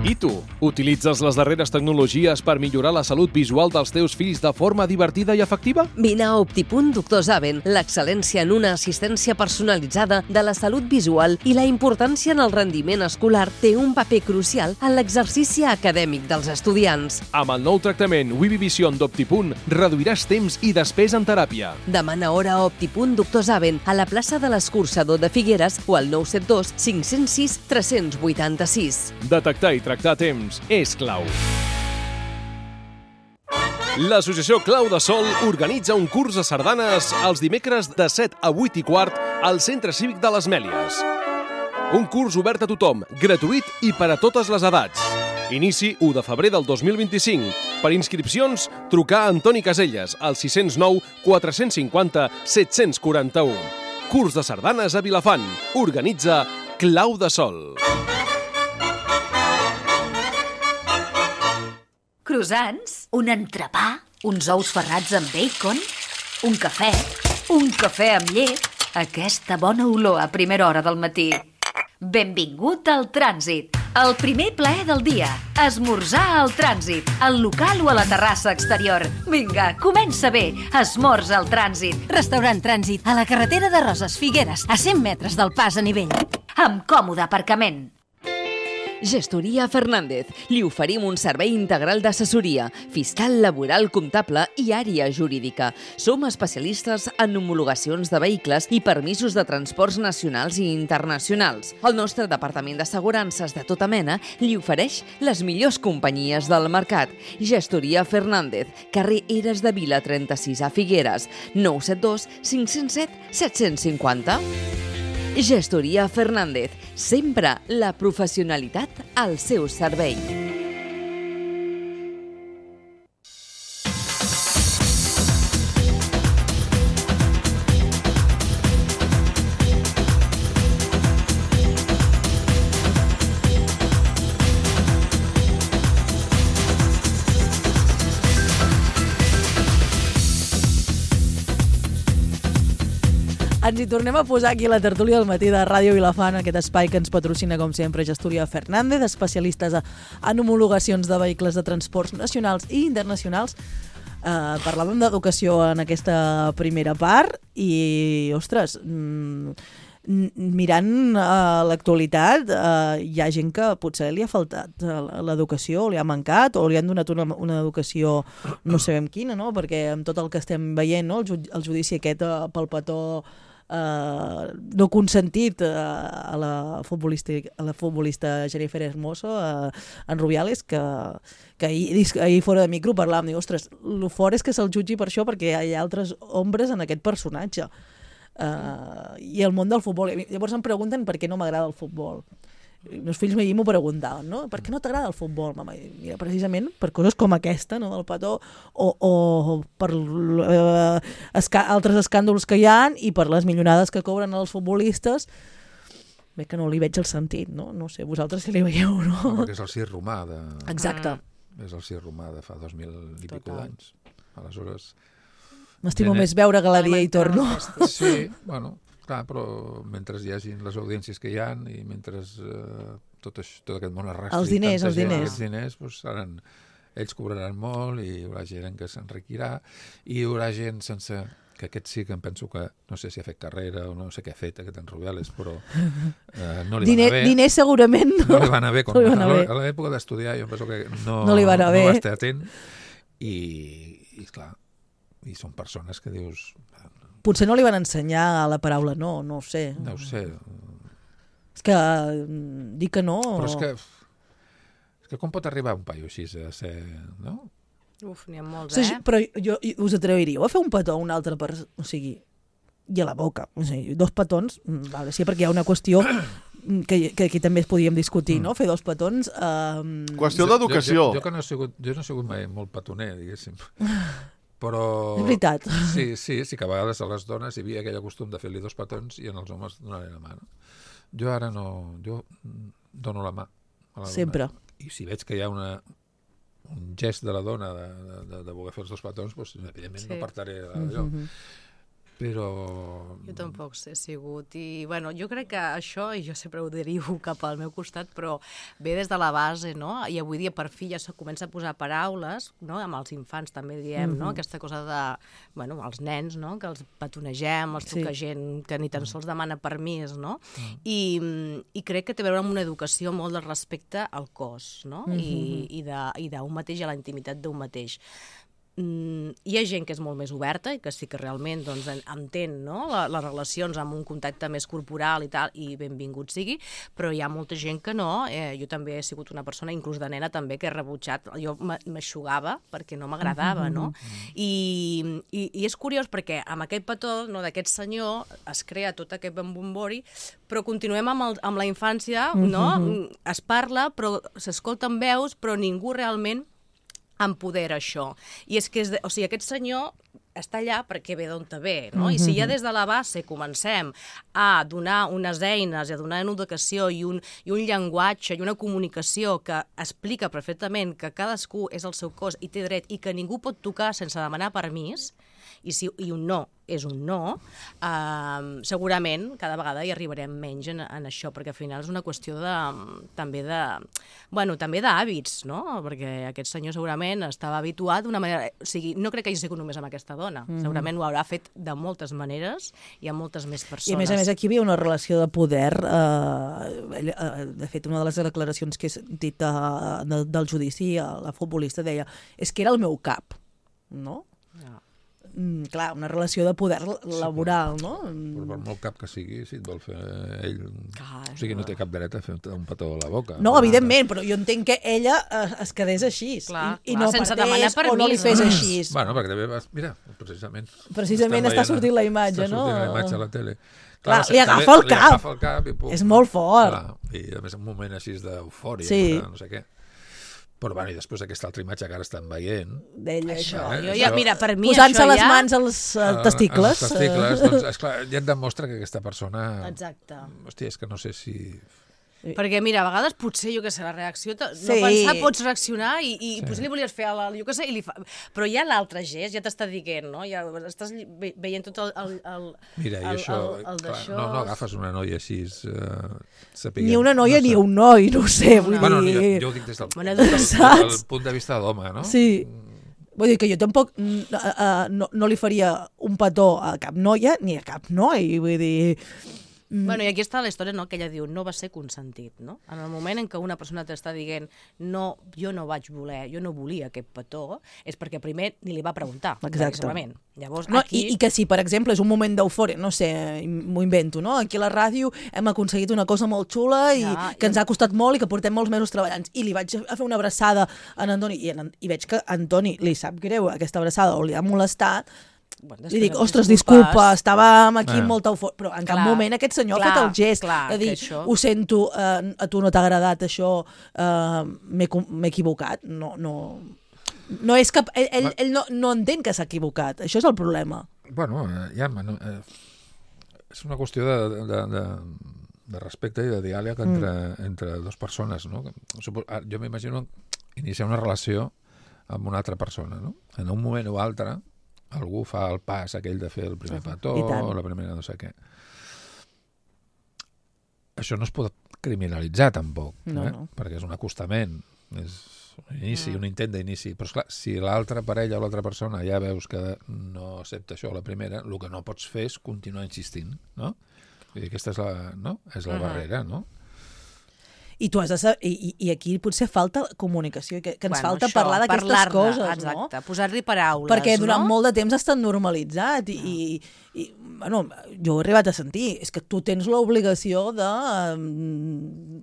I tu, utilitzes les darreres tecnologies per millorar la salut visual dels teus fills de forma divertida i efectiva? Vine a Optipunt Doctor Zaven, l'excel·lència en una assistència personalitzada de la salut visual i la importància en el rendiment escolar té un paper crucial en l'exercici acadèmic dels estudiants. Amb el nou tractament Wibi Vision d'Optipunt reduiràs temps i despesa en teràpia. Demana hora a Optipunt Doctor Zaven a la plaça de l'Escurçador de Figueres o al 972 506 386. Detectar i tractar a temps és clau. L'associació Clau de Sol organitza un curs de sardanes els dimecres de 7 a 8 i quart al Centre Cívic de les Mèlies. Un curs obert a tothom, gratuït i per a totes les edats. Inici 1 de febrer del 2025. Per inscripcions, trucar a Antoni Caselles al 609 450 741. Curs de sardanes a Vilafant. Organitza Clau de Sol. Croissants, un entrepà, uns ous ferrats amb bacon, un cafè amb llet, aquesta bona olor a primera hora del matí. Benvingut al trànsit. El primer plaer del dia. Esmorzar al trànsit, al local o a la terrassa exterior. Vinga, comença bé. Esmorza al trànsit. Restaurant Trànsit, a la carretera de Roses Figueres, a 100 metres del pas a nivell. Amb còmode aparcament. Gestoria Fernández. Li oferim un servei integral d'assessoria, fiscal, laboral, comptable i àrea jurídica. Som especialistes en homologacions de vehicles i permisos de transports nacionals i internacionals. El nostre departament d'assegurances de tota mena li ofereix les millors companyies del mercat. Gestoria Fernández, carrer Eres de Vila 36 a Figueres, 972 507 750. Gestoria Fernández, sempre la professionalitat al seu servei. Ens hi tornem a posar aquí a la tertúlia del matí de Ràdio Vilafant, aquest espai que ens patrocina, com sempre, Gestoria Fernández, especialistes en homologacions de vehicles de transports nacionals i internacionals. Parlàvem d'educació en aquesta primera part i, ostres, mirant l'actualitat, hi ha gent que potser li ha faltat l'educació, o li ha mancat, o li han donat una educació no sabem quina, no? Perquè amb tot el que estem veient, no? El judici aquest pel petó no consentit a la futbolista Jennifer Hermoso en Rubiales, que ahir fora de micro parlàvem, diu, ostres, el fort és que se'l jutgi per això, perquè hi ha altres ombres en aquest personatge. I el món del futbol. Llavors em pregunten per què no m'agrada el futbol. Els meus fills m'ho preguntaven, no? Per què no t'agrada el futbol, mama? I mira, precisament per coses com aquesta, no? Del petó, o per altres escàndols que hi ha i per les milionades que cobren els futbolistes. Bé, que no li veig el sentit, no? No sé, vosaltres si li veieu, no? No, perquè és el circ romà de... Exacte. És el circ romà de fa 2000 i pico d'anys. Aleshores... M'estimo més veure Galeria i Torno. Sí, bueno... Clar, però mentre hi hagi les audiències que hi ha i mentre tot aquest món es rastri... Els diners, doncs seran... Ells cobraran molt i hi haurà gent que s'enriquirà i hi haurà gent sense... Que aquest sí que em penso que... No sé si ha fet carrera o no sé què ha fet aquest en Rubiales, però no li va anar bé. Diners segurament no. No li va anar bé. A l'època d'estudiar jo penso que no li va anar bé. No va estar atent i clar, i són persones que dius... Potser no li van ensenyar la paraula no ho sé. No ho sé. És que dir que no... Però és que com pot arribar un paio així a ser... No? Uf, n'hi ha molts, Però jo us atreviríeu a fer un petó a un altre persona? O sigui, i a la boca. O sigui, 2 petons, vale, sí, perquè hi ha una qüestió que aquí també es podíem discutir, no? Fer 2 petons... Qüestió d'educació. Jo no he sigut mai molt petoner, diguéssim. Però... És veritat. Sí, que a vegades a les dones hi havia aquell costum de fer-li 2 petons i en els homes donar-li la mà. No? Jo ara no... Jo dono la mà a la dona. Sempre. I si veig que hi ha un gest de la dona de voler fer els 2 petons, doncs, evidentment no apartaré allò. Però... Jo tampoc he sigut i bueno, jo crec que això, i jo sempre ho derivo cap al meu costat, però ve des de la base, no? I avui dia per fi ja se comença a posar paraules, no? Amb els infants també diem, no? Aquesta cosa de, bueno, els nens, no? Que els petonegem, els toca gent que ni tan sols demana permís, no? I crec que té a veure amb una educació molt de respecte al cos, no? I d'un mateix, a la intimitat d'un mateix. Hi ha gent que és molt més oberta i que sí que realment doncs, entén, no? Les relacions amb un contacte més corporal i tal, i benvingut sigui, però hi ha molta gent que no. Jo també he sigut una persona, inclús de nena també, que he rebutjat. Jo m'aixugava perquè no m'agradava, no? I és curiós perquè amb aquest petó, no, d'aquest senyor es crea tot aquest bombombori, però continuem amb la infància, no? Es parla, però s'escolten veus, però ningú realment empodera això. I és que, o sigui, aquest senyor està allà perquè ve d'on te ve, no? I si ja des de la base comencem a donar unes eines, a donar una educació i un llenguatge i una comunicació que explica perfectament que cadascú és el seu cos i té dret i que ningú pot tocar sense demanar permís, i un no és un no, segurament cada vegada hi arribarem menys en això, perquè al final és una qüestió també d'hàbits, no? Perquè aquest senyor segurament estava habituat d'una manera... O sigui, no crec que hagi sigut només amb aquesta dona. Segurament ho haurà fet de moltes maneres i amb moltes més persones. I a més aquí hi havia una relació de poder. De fet, una de les declaracions que he sentit del judici, la futbolista deia, és que era el meu cap, no? Clar, una relació de poder laboral, no? Però per molt cap que sigui, si et vol fer ell... O sigui, no té cap dret a fer un petó a la boca. No, evidentment, però jo entenc que ella es quedés així. I no sense partés demanar permís, o no li fes així. Bueno, perquè també vas... Mira, precisament... Precisament està sortint la imatge, no? Està sortint la imatge a la tele. Clar, li agafa el cap. És molt fort. I a més un moment així d'eufòria, no sé què. Però bueno, i després aquesta altra imatge que ara estan veient... D'ella, això. Mira, per mi posant-se això les mans als testicles. Els testicles, doncs, esclar, ja et demostra que aquesta persona... Exacte. Hòstia, és que no sé si... Perquè, mira, a vegades potser, jo què sé, la reacció... No pensar, pots reaccionar i potser li volies fer jo què sé, però ja l'altre gest ja t'està dient, no? Ja estàs veient tot el Mira, i això... No agafes una noia així... Ni una noia ni un noi, no ho sé, vull dir... Jo ho dic des del punt de vista d'home, no? Sí. Vull dir que jo tampoc no li faria un petó a cap noia ni a cap noi, vull dir... Bueno, i aquí està la història, no?, que ella diu no va ser consentit, no? En el moment en què una persona t'està dient no, jo no vaig voler, jo no volia aquest petó, és perquè primer ni li va preguntar. Exacte. Llavors, no, aquí... I que si, per exemple, és un moment d'eufòria, no sé, m'ho invento, no? Aquí a la ràdio hem aconseguit una cosa molt xula i que ens ha costat molt i que portem molts mesos treballant. I li vaig a fer una abraçada a en Antoni i veig que a Antoni li sap greu aquesta abraçada o li ha molestat. Li dic, ostres, disculpa, estàvem aquí amb molta eufòria, però en cap moment aquest senyor ha fet el gest de dir, ho sento, a tu no t'ha agradat això, m'he equivocat. No és cap... Ell no entén que s'ha equivocat, això és el problema. Bueno, ja, és una qüestió de respecte i de diàleg entre dues persones, no? Jo m'imagino iniciar una relació amb una altra persona, no? En un moment o altre algú fa el pas aquell de fer el primer petó o la primera no sé què. Això no es pot criminalitzar tampoc, perquè és un acostament, és un inici, un intent d'inici. Però esclar, si l'altra parella o l'altra persona ja veus que no accepta això a la primera, el que no pots fer és continuar insistint, no? Vull dir, aquesta és la barrera, no? I tu has de saber, i aquí potser falta comunicació, que ens falta parlar d'aquestes coses, no? Exacte, posar-li paraules, perquè durant molt de temps ha estat normalitzat i bueno, jo he arribat a sentir, és que tu tens l'obligació de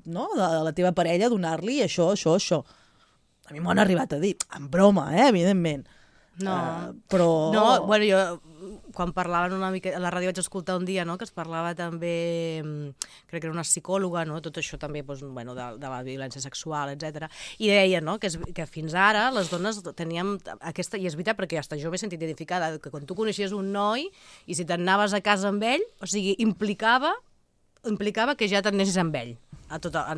la teva parella donar-li això. A mi m'ho han arribat a dir, en broma, evidentment. Però... No, bueno, jo quan parlaven una mica, a la ràdio vaig escoltar un dia, no?, que es parlava també, crec que era una psicòloga, no?, tot això també, doncs, bueno, de la violència sexual, etc. I deia, no?, que fins ara les dones teníem aquesta, i és veritat perquè hasta jo m'he sentit identificada, que quan tu coneixies un noi i si t'anaves a casa amb ell, o sigui, implicava que ja t'anessis amb ell,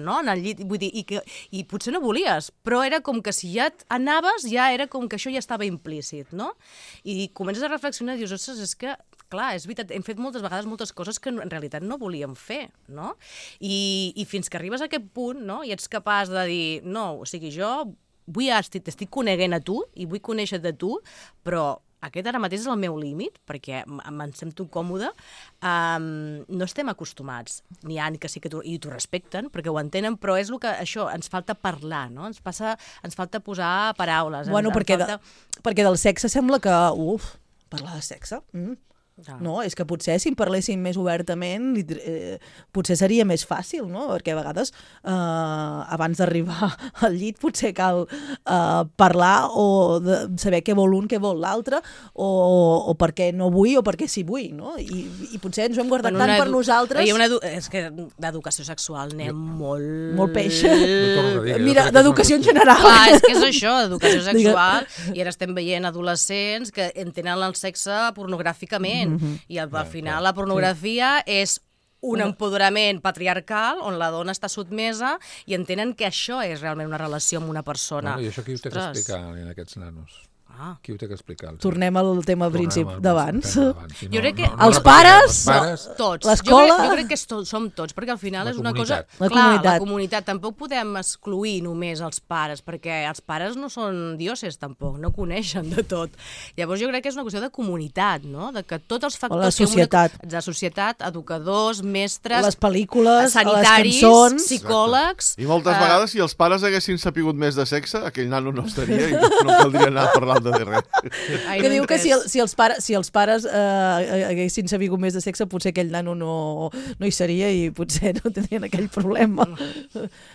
no? En el llit, vull dir, i potser no volies, però era com que si ja anaves, ja era com que això ja estava implícit, no? I comences a reflexionar i dius, ostres, és que, clar, és veritat, hem fet moltes vegades moltes coses que en realitat no volíem fer, no? I fins que arribes a aquest punt, no?, i ets capaç de dir, no, o sigui, jo t'estic coneguent a tu i vull conèixer-te a tu, però aquest ara mateix és el meu límit, perquè em sento còmode, no estem acostumats, n'hi ha que sí que i t'ho respecten, perquè ho entenen, però és el que això, ens falta parlar, no? Ens falta posar paraules. Bueno, perquè del sexe sembla que, parlar de sexe... No, és que potser si en parléssim més obertament potser seria més fàcil, no? Perquè a vegades abans d'arribar al llit potser cal parlar o saber què vol un, què vol l'altre o per què no vull o per què sí vull, no? I potser ens ho hem guardat tant per nosaltres. És que d'educació sexual anem molt peix. Mira, d'educació en general. Clar, és que és això, educació sexual, i ara estem veient adolescents que entenen el sexe pornogràficament. I al final la pornografia és un empoderament patriarcal on la dona està sotmesa i entenen que això és realment una relació amb una persona. I això qui ho té que explicar en aquests nanos? Qui ho té que explicar? Tornem al tema principi d'abans. Jo crec que els pares, tots. l'escola... Jo crec que som tots, perquè al final és una cosa... La comunitat. Tampoc podem excluir només els pares, perquè els pares no són dioses tampoc, no coneixen de tot. Llavors jo crec que és una qüestió de comunitat, no? De que tots els factors... La societat. De societat, educadors, mestres... Les pel·lícules, sanitaris, les cançons... psicòlegs... I moltes vegades, si els pares haguessin sapigut més de sexe, aquell nano no estaria i no caldria anar parlant de res. Que diu que si els pares haguessin sabut més de sexe, potser aquell nano no hi seria i potser no tindrien aquell problema.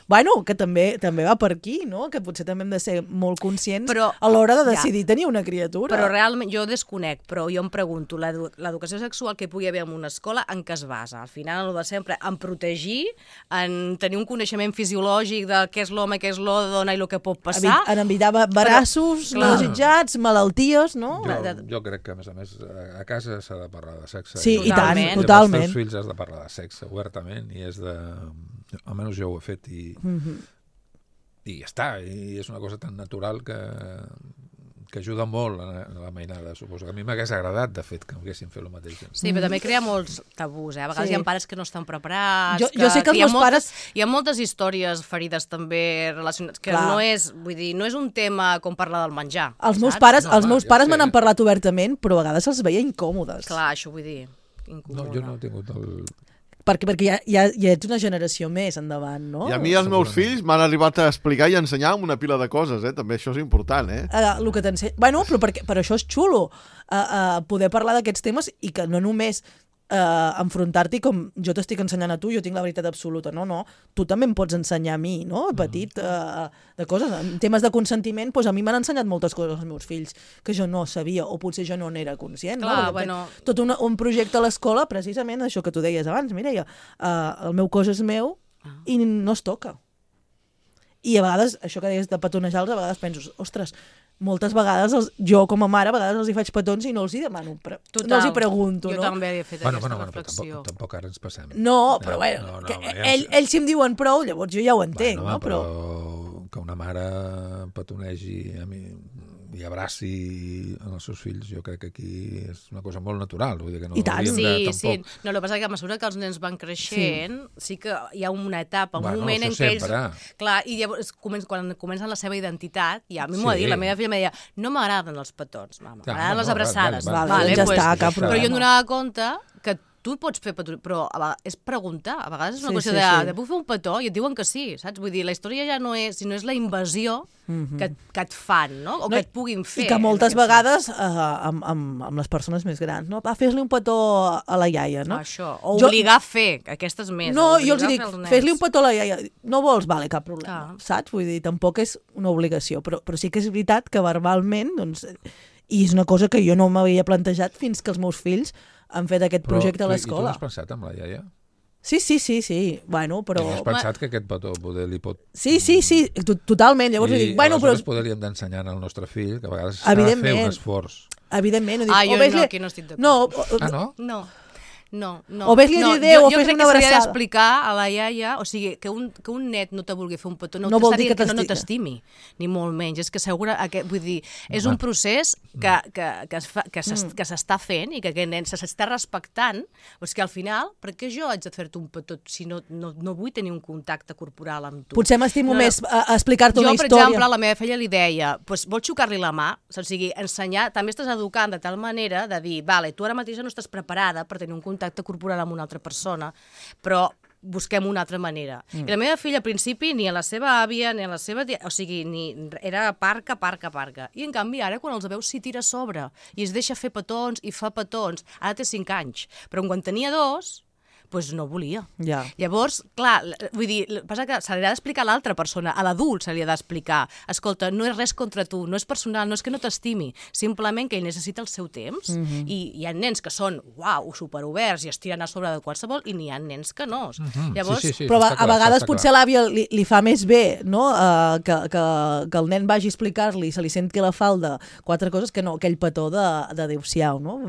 Bueno, que també va per aquí, no? Que potser també hem de ser molt conscients a l'hora de decidir tenir una criatura. Però realment, jo desconec, però jo em pregunto, l'educació sexual que pugui haver en una escola, en què es basa? Al final, el de sempre, en protegir, en tenir un coneixement fisiològic de què és l'home, què és la dona i el que pot passar. En evitar embarassos no desitjats, malalties, no? Jo crec que, a més, a casa s'ha de parlar de sexe. Sí, i tant, totalment. Amb els teus fills has de parlar de sexe obertament i és de... Almenys jo ho he fet i ja està. I és una cosa tan natural que ajuda molt a la mainada, suposo. A mi m'hagués agradat, de fet, que haguessin fet el mateix. Sí, però també crea molts tabús, A vegades hi ha pares que no estan preparats... Jo sé que els meus pares... Hi ha moltes històries ferides també relacionades, que no és, vull dir, no és un tema com parlar del menjar. Els meus pares me n'han parlat obertament, però a vegades els veia incòmodes. Clar, això vull dir, incòmode. No, jo no he tingut el... Perquè ja ets una generació més endavant, no? I a mi els meus fills m'han arribat a explicar i a ensenyar una pila de coses, també això és important, El que t'ensenya... Bueno, però això és xulo, poder parlar d'aquests temes i que no només enfrontar-t'hi com jo t'estic ensenyant a tu, jo tinc la veritat absoluta, no, tu també em pots ensenyar a mi, no, petit, de coses, en temes de consentiment, doncs a mi m'han ensenyat moltes coses els meus fills que jo no sabia, o potser jo no n'era conscient. Clar, no? Tot un projecte a l'escola, precisament, això que tu deies abans, Mireia, el meu cos és meu i no es toca. I a vegades, això que deies de petonejar-los, a vegades penso, ostres, moltes vegades, jo com a mare, a vegades els hi faig petons i no els hi demano, no els hi pregunto. Jo també he fet aquesta reflexió. Tampoc ara ens passem. No, però bueno, ells si em diuen prou, llavors jo ja ho entenc. Però que una mare petonegi a mi i abraci els seus fills, jo crec que aquí és una cosa molt natural. Vull dir que no hauríem de tampoc... Sí. No, el que passa és que a mesura que els nens van creixent, sí que hi ha una etapa, un moment en què ells... Clar, i llavors, quan comencen la seva identitat, ja a mi m'ho ha dit, la meva filla em deia, no m'agraden els petons, m'agraden les abraçades. Però jo em donava compte que tu pots fer petó, però és preguntar. A vegades és una qüestió de puc fer un petó? I et diuen que sí, saps? Vull dir, la història ja no és, sinó és la invasió que et fan, no? O que et puguin fer. I que moltes vegades amb les persones més grans, no? Fes-li un petó a la iaia, no? Això, o obligar a fer, aquestes més. No, jo els dic, fes-li un petó a la iaia. No vols? Vale, cap problema. Saps? Vull dir, tampoc és una obligació, però sí que és veritat que verbalment, doncs, i és una cosa que jo no m'havia plantejat fins que els meus fills han fet aquest projecte a l'escola. I tu has pensat amb la iaia? Sí. Bueno, però... I has pensat que aquest petó poder li pot... Sí, totalment. Llavors dic, bueno, però... aleshores poder li hem d'ensenyar al nostre fill que a vegades s'ha de fer un esforç. Evidentment. Jo no, aquí no estic d'acord. No? No. O ves-li l'idea o fes una abraçada. Jo crec que s'hauria d'explicar a la iaia, o sigui, que un net no te vulgui fer un petó no vol dir que no t'estimi, ni molt menys. És que vull dir, és un procés que s'està fent i que aquest nen s'està respectant, però és que al final, per què jo haig de fer-te un petó si no vull tenir un contacte corporal amb tu? Potser m'estimo més a explicar-te una història. Jo, per exemple, la meva filla li deia, vols xocar-li la mà? O sigui, ensenyar, també estàs educant de tal manera de dir, vale, tu ara mateix no estàs preparada per tenir un contacte corporal amb una altra persona, però busquem una altra manera. I la meva filla, al principi, ni a la seva àvia, ni a la seva tia, o sigui, era parca. I, en canvi, ara, quan els veus, s'hi tira a sobre i es deixa fer petons i fa petons. Ara té 5 anys, però quan tenia 2... doncs no volia. Ja. Llavors, clar, vull dir, passa que se li ha d'explicar a l'altra persona, a l'adult se li ha d'explicar, escolta, no és res contra tu, no és personal, no és que no t'estimi, simplement que ell necessita el seu temps, i hi ha nens que són, superoberts i es tiren a sobre de qualsevol, i n'hi ha nens que no. Llavors... Sí, però a vegades potser a l'àvia li fa més bé, no?, que el nen vagi a explicar-li, se li senti la falda, 4 coses, que no aquell petó d'adéu-siau, no?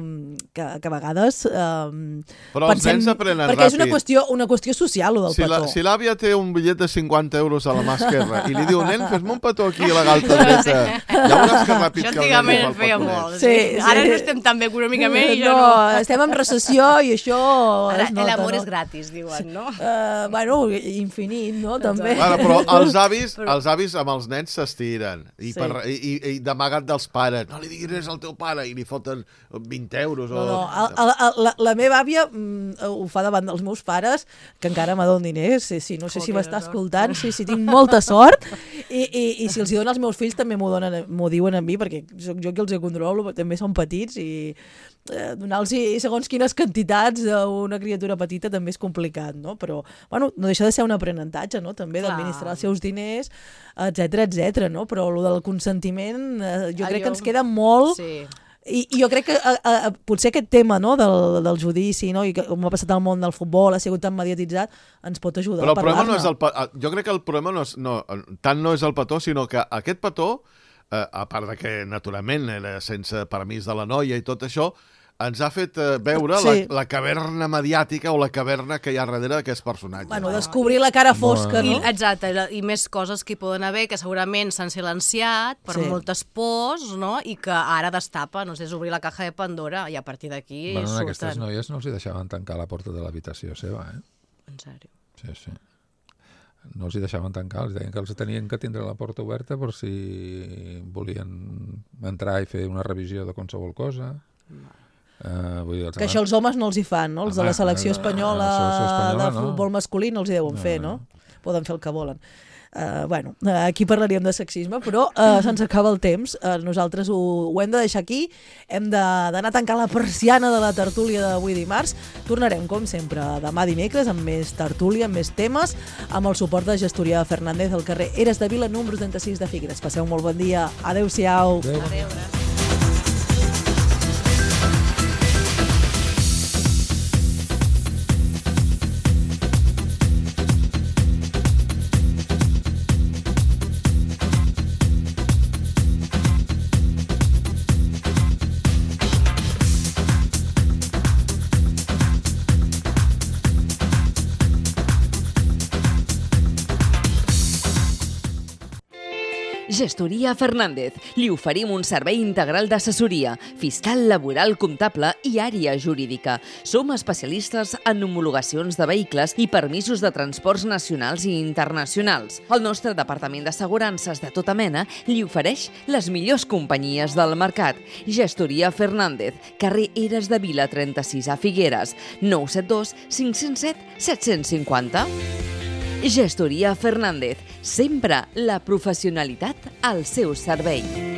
Que a vegades... Però els nens aprenen perquè és ràpid. una qüestió social, el del petó. Si l'àvia té un bitllet de 50 euros a la mà esquerra i li diu, nen, fes-me un petó aquí a la galta dreta, ja veuràs que ràpid Això que el nen antigament el en feia pot molt. Sí, Sí. Ara no estem tan bé econòmicament i ja no. no. Estem en recessió i això Ara es nota, l'amor no? és gratis, diuen, no? Bueno, infinit, no? També. Bueno, però els avis amb els nens s'estiren i d'amagat dels pares. No li diguis res al teu pare i li foten 20 euros. La meva àvia ho fa davant dels meus pares, que encara me donen diners. Sí, no sé si m'està escoltant, sí, tinc molta sort. I si els hi donen als meus fills també m'ho diuen a mi, perquè soc jo qui els controlo, també són petits i donar-los segons quines quantitats a una criatura petita també és complicat, no? Però, bueno, no deixa de ser un aprenentatge, no? També d'administrar els seus diners, etc, no? Però el del consentiment jo crec que ens queda molt... Sí. I jo crec que potser aquest tema, no, del judici, no, i com ha passat al món del futbol, ha sigut tan mediatitzat, ens pot ajudar però a parlar-ne. Jo crec que el problema no és el petó, sinó que aquest petó, a part de que naturalment era sense permís de la noia i tot això, ens ha fet veure la caverna mediàtica o la caverna que hi ha darrere d'aquests personatges. Bueno, descobrir la cara fosca, no? Exacte, i més coses que hi poden haver, que segurament s'han silenciat per moltes pors, no? I que ara destapa, no sé, és obrir la caja de Pandora i a partir d'aquí surten. surten. Aquestes noies no els hi deixaven tancar la porta de l'habitació seva, En sèrio? Sí. No els hi deixaven tancar, els deien que els tenien que tindre la porta oberta per si volien entrar i fer una revisió de qualsevol cosa. Que això els homes no els hi fan, no? Els de la selecció espanyola de futbol masculí no els hi deuen fer, no? Poden fer el que volen. Bueno, aquí parlaríem de sexisme, però se'ns acaba el temps. Nosaltres ho hem de deixar aquí. Hem d'anar a tancar la persiana de la tertúlia d'avui dimarts. Tornarem, com sempre, demà dimecres amb més tertúlia, amb més temes, amb el suport de Gestoria Fernández al carrer Eres de Vila, número 36 de Figueres. Passeu un molt bon dia. Adéu-siau. Adéu. Gestoria Fernández. Li oferim un servei integral d'assessoria, fiscal, laboral, comptable i àrea jurídica. Som especialistes en homologacions de vehicles i permisos de transports nacionals i internacionals. El nostre departament d'assegurances de tota mena li ofereix les millors companyies del mercat. Gestoria Fernández, carrer Eres de Vila 36 a Figueres, 972 507 750. Gestoria Fernández, sempre la professionalitat al seu servei.